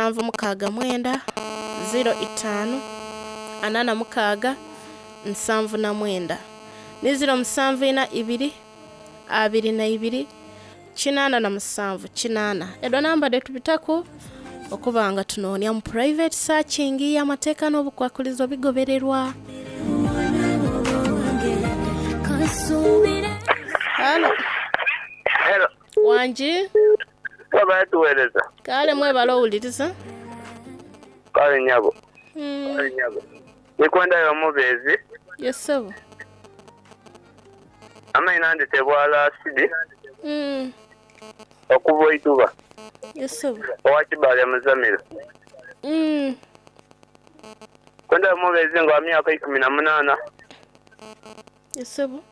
05 46 79 ni 0742 22 87 8. Edo namba detubitaku okubanga tunoonya mu private searching y'amateeka n'obukwakulizo bigobererwa. Halo. Hello. Wangi. Wabale tuweereza. Kale mwebale owuliriza. Kale nyabo. Kale nyabo. Nikwendayo omubeezi. Yes sebo. Amaina ndetebwa Lasidi. Okuva Oituba. Yes sebo. Owa Kibaale Muzamiro. Kwendayo omubeezi nga wa myaka 18. Yes sebo.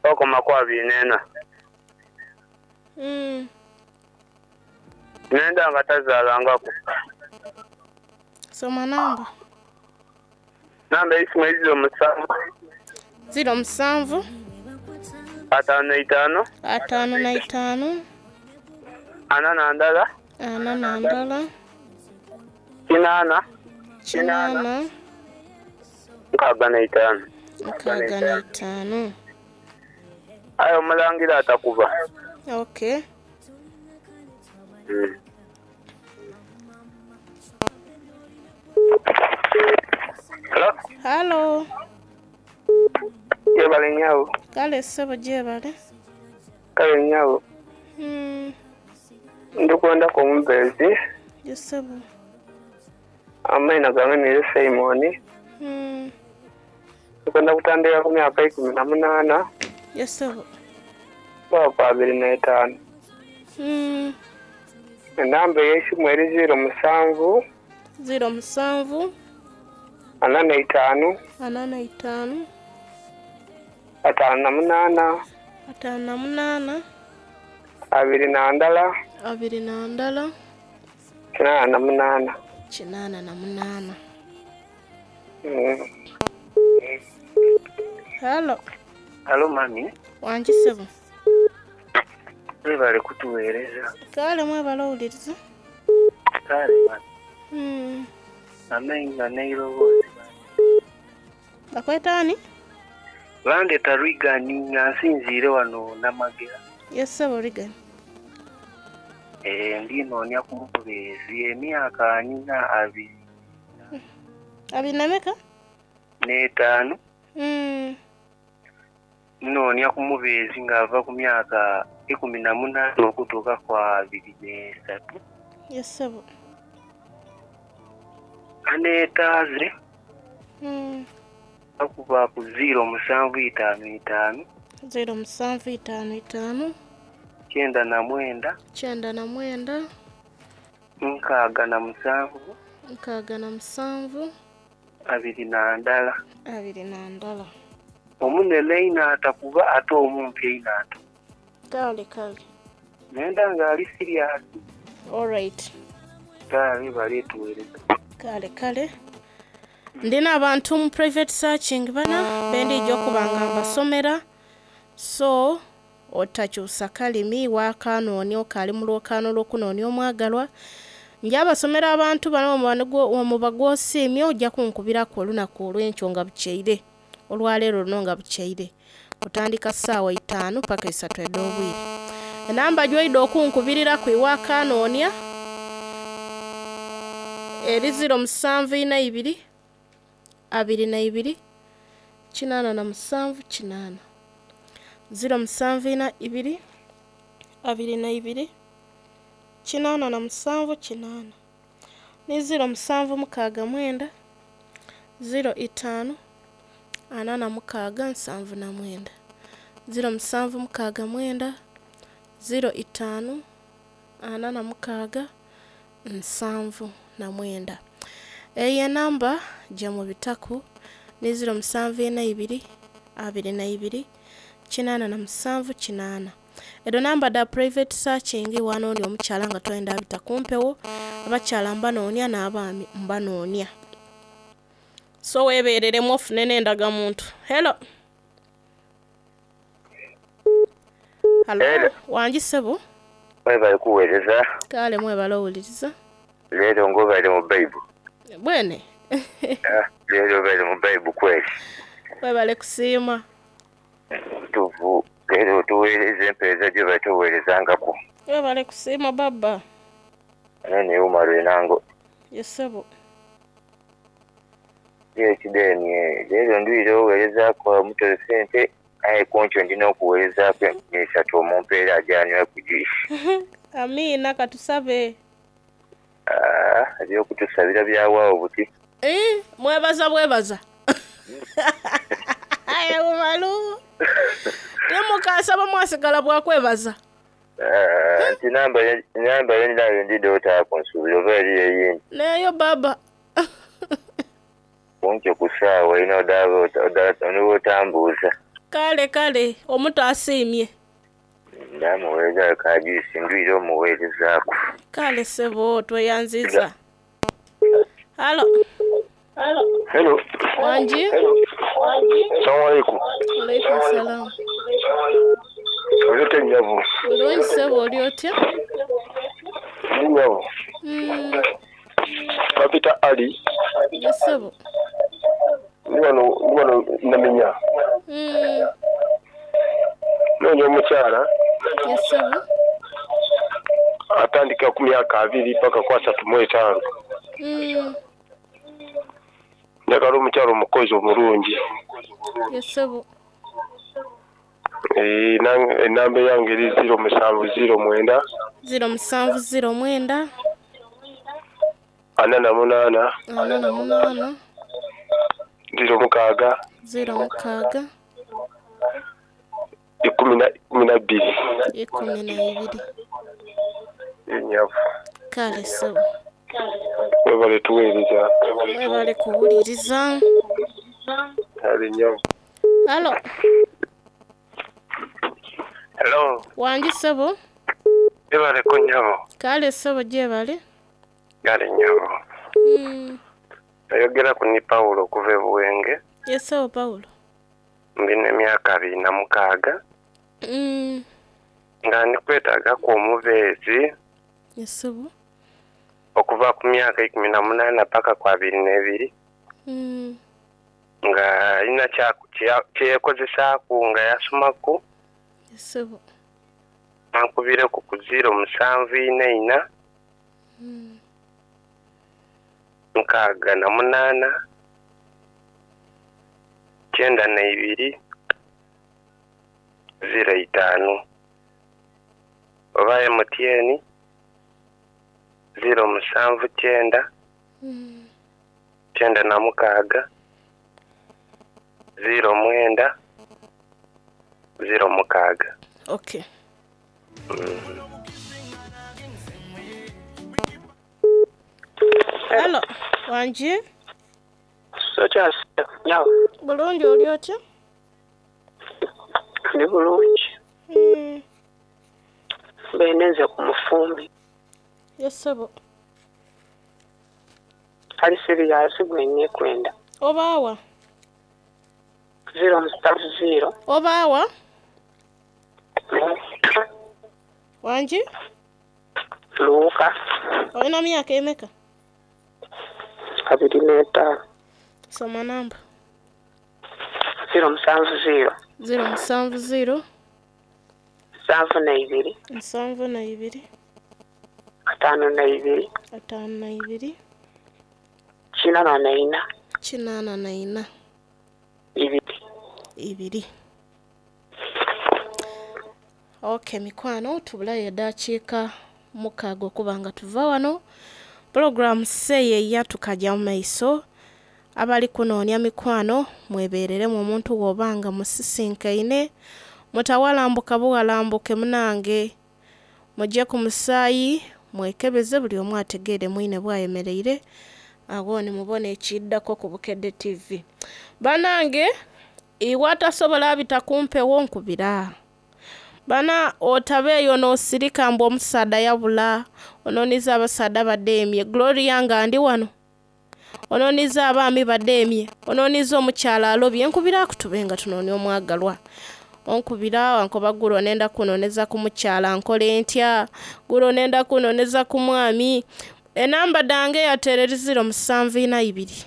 Okoma ku 24. Nenda nga tazaalangaku. Soma namba. Namba eisimu eri 07. 07. 55. 55. 41. 41. 8. 8. 65. 65. Aye omulangira atakuba. Okay. Hello? Halo. Jebale nyabo. Kale ssebo jebale. Kale nyabo. Ndikwendako omubeezi. Yes ssebo. Amaina gange ni Simon. Ndikwenda kutandika ku myaka 18. Yes ssebo. Paka 25. Enamba ey'esimu eri 07. 07. 45. 45. 58. 58. 21. 21. 88. 88. Halo. Halo mami. Wangi ssebo. Mwebale kutuweereza. Kale mwebale owuliriza. Kale mami. Amenga n'eiroboozi. Bakweta ani? Bandeta Reagan nga nsinziire wano Namagera. Yes ssebo Reagan. Ndinoonya ku mubeezi emyaka 20. 24? 5. Nnoonya ku mubeezi ng'ava ku myaka 18 okutuuka ku 23. Yes ssebo. Aneetaaze. Akuba ku 0755. 0755. 99. 99. 67. 67. 21. 21. Omunene einho atakuba ate omumpi einho atakuba. Kale kale. Nenda ng'ali serious. Alright. Kale baletuweereza. Kale kale. Ndina abantu mu private searching bana bendijja okuba nga mbasomera. So otakyusa kalimi wakanoonya okaali mu lwokaano lw'okunoonya omwagalwa. Nja abasomera abantu bano omuba gw'osiimye ojja kunkubiraku olunaku olw'enkyo nga bukyeire. Olwaleero luno nga bukyeire. Otandika ssaawa 5 paka 3 ed'obwire. Enamba gy'oyida okunkubiriraku iwakanoonya eri 0742 22 87 8. 0742 22 87 8. Ni 0769 05 46 79. 0769 05 46 79. Eyo enamba gye mubitaku ni 0742 22 87 8. Edo namba da private searching wanoonya omukyala nga toyenda abita kumpewo, abakyala mbanoonya n'abaami mbanoonya. So weebereremu ofune n'endagamuntu. Hello. Hello. Wangi ssebo. Mwebale kuweereza. Kale mwebale owuliriza. Leero ng'obaire mu Bible. Bwene. Leero obaire mu Bible kweli. Mwebale kusiima. Tuvu leero tuweereza empeereza gye batuweerezangako. Mwebale kusiima baba. Nene Umaru enango. Yes ssebo. Ekideni leero ndwire oweerezaako omutolo sente. Aye kunkyo ndina okuweerezaaku enkumi isatu omumpeere aje anywe ku juice. Amiina katusabe. Ah, eby'okutusabira byawaawo buti. Ii, mwebaza bwebaza. Aye bumalu. Timukaasaba mwasigala bwa kwebaza. Ah, nti namba ye- namba ye ndinayo ndidha otaaku nsuubira oba eriyo eyindi. Neeyo baba. Kunkyo ku saawa ina odaaba niwe otambuuza. Kale kale omuto asiimye. Ndamuweereza ka juice ndwire omuweerezaaku. Kale ssebo tweyanziza. Halo. Hello. Wangi? Assalamu alaikum. Alaikum salam. Oli otya nnyabo? Bulungi ssebo oli otya? Ndi nnyabo. Bampita Ali. Ye ssebo. Ndi wano ndi wano Namenya. Noonya omukyala Ye ssebo. atandika ku myaka abiri paka ku asatu mu etaano. Njagala omukyala omukozi omulungi. Ye ssebo. Eh, enamba yange eri 0709 0709 48 48 06 06 12. 12. Enyavu. Kale ssebo. Webale tuweereza. Mwebale kuwuliriza. Kale nyavu. Halo. Hello, Wangi ssebo. jebaleko nnyabo. Kale ssebo gyebale. Kale nnyabo. Oyogera ku ni Pawulo okuva e Buwenge. Ye ssebo Pawulo. Ndina emyaka 26 nga ndi kwetaagaku omubeezi Ye ssebo. okuva ku myaka 18 paka ku 22 nga alina kyeyekozesaaku nga yasomaku Ye ssebo. ankubireku ku 0744 68 92 05 oba MTN 079 96 09 06. Okay. Halo. Wangi? Sokyase nyawo. Bulungi oli otya? Ndi bulungi. Mbenenze ku mufumbi. Ye ssebo. Ali siriyasi gwe nneekwenda. Obaawa? 070. Obaawa? Wangi? Luuka. Olina myaka emeka? 25. Soma namba. 070. 070. 72. 72. 52. 52. 84. 84. 2. 2. Okay, mikwano tubulayo eddakiika 6 okuba nga tuva wano. Pulogulaamu seeyeeya tukajja mu maiso. Abali kunoonya mikwano mwebeereremu omuntu bw'oba nga musisinkaine mutawalambuka buwalambuke munange. Mujje ku musaayi mwekebeze buli omu ategeere mwine bw'ayemereire awo ni mubone ekiddako ku Bukedde TV. Bannange iwe atasobola abita kumpewo nkubira. Bana otabeeyo n'osirika mbu omusaadha yabula onooniza abasaadha badeemye. Gloria nga ndi wano. Onooniza abaami badeemye. Onooniza omukyala alobye nkubira akutube nga tunoonya omwagalwa. Onkubira wankoba gulo nenda kunooneza ku mukyala nkole ntya. Gulo nenda kunooneza ku mwami. Enamba dhange yatereri 0742.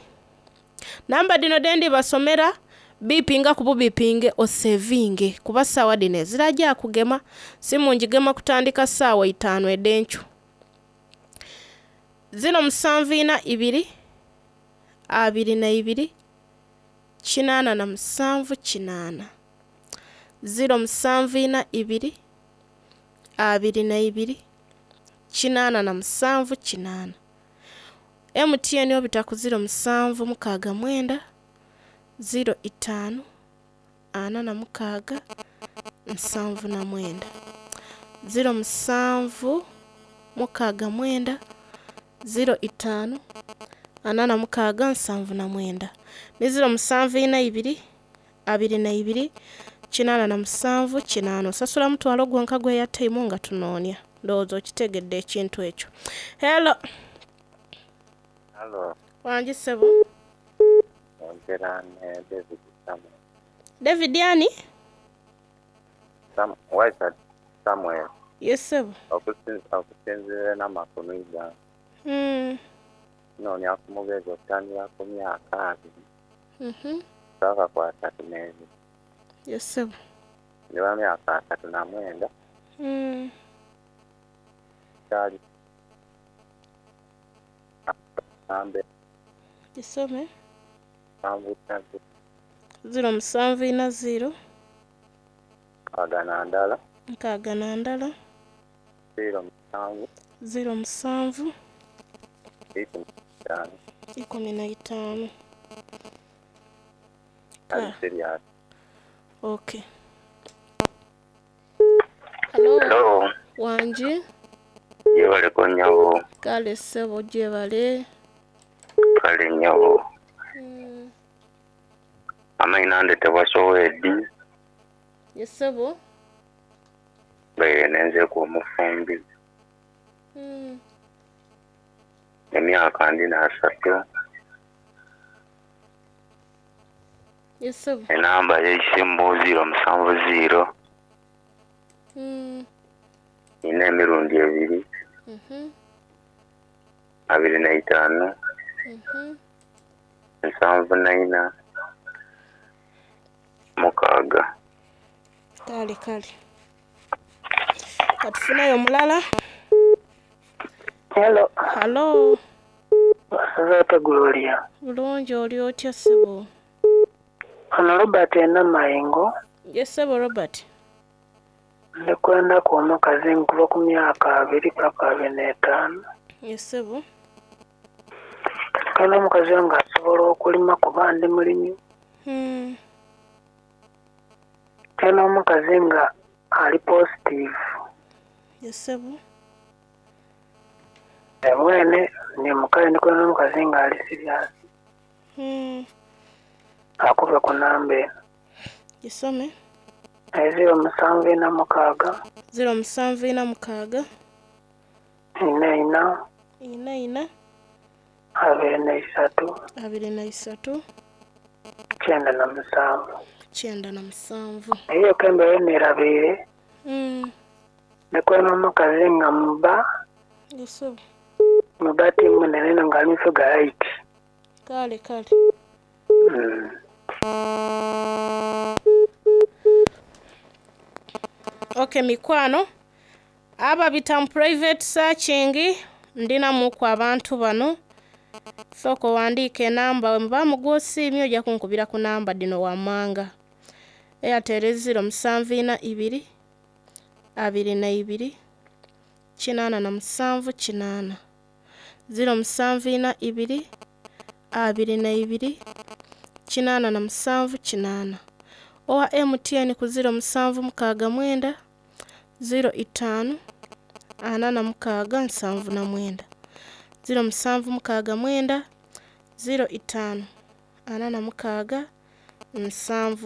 Namba dhino dhendi basomera bipinga ku bubipinge osevinge kuba ssaawa dhino ezirajja kugema simu ngigema kutandika ssaawa 5 ed'enkyo. 0742 22 87 8. 0742 22 87 8. MTN obita ku 0769 05 46 79. 0769 05 46 79 ni 0742 22 87 8. Osasula mutwalo gwonka gweyataimu nga tunoonia. Ndowooza okitegedde ekintu ekyo. Hello. Halo, Wangi ssebo. Ongera ne David Samuel. David ani? Sam, Waisa Samuel. Yes ssebo. Okusinziira n'amakulu gange. Nnoonya ku mubeezi okutandika ku myaka 20 paka ku 32. Yes ssebo. Ndi wa myaka 39. Kyali nambe Gisome. 74 0740 61 61 07 07 15. 15. Ali serious. Okay. Hello. Hello. Wangi. Gyebaleko nnyabo. Kale ssebo gyebale. Kale nnyabo. Amaina ndetebwa Sowedi. Yes ssebo. Mbaire nenzeku omufumbi. Emyaka ndina 30. Yes ssebo. Enamba y'eisimu 070 4 emirundi 2 25 74 6. Kale kale. Katufunayo omulala. Hello. Hello. Wasazate Gloria. Bulungi oli otya ssebo? Ono Robert Enamayengo. Yes ssebo Robert. Ndikwendaku omukazi nkuva ku myaka 20 paka 25. Yes ssebo. Kandi omukazi nga asobola okulima kuba ndi mulimi. Kandi omukazi nga ali positive. Yes ssebo. Ebwene ni mukazi ndikwenda omukazi nga ali serious. Akuve ku namba eno. Gisome. 0746 0746 44 44 23 23 97. 97. Eyo kembe nerabire. Ndikwenda omukazi nga muba. Yes ssebo. Muba ti munene nga ali mufuga 8. Kale kale. Okay mikwano, ababita mu private searching ndinamuku abantu bano. Sooka owandiike enamba we muba mugwosiimye ojja kunkubira ku namba dino wammanga. Airtel 0742 22 87 8. 0742 22 87 8. Owa MTN ku 0769 05 46 79. 0769 05 46 79.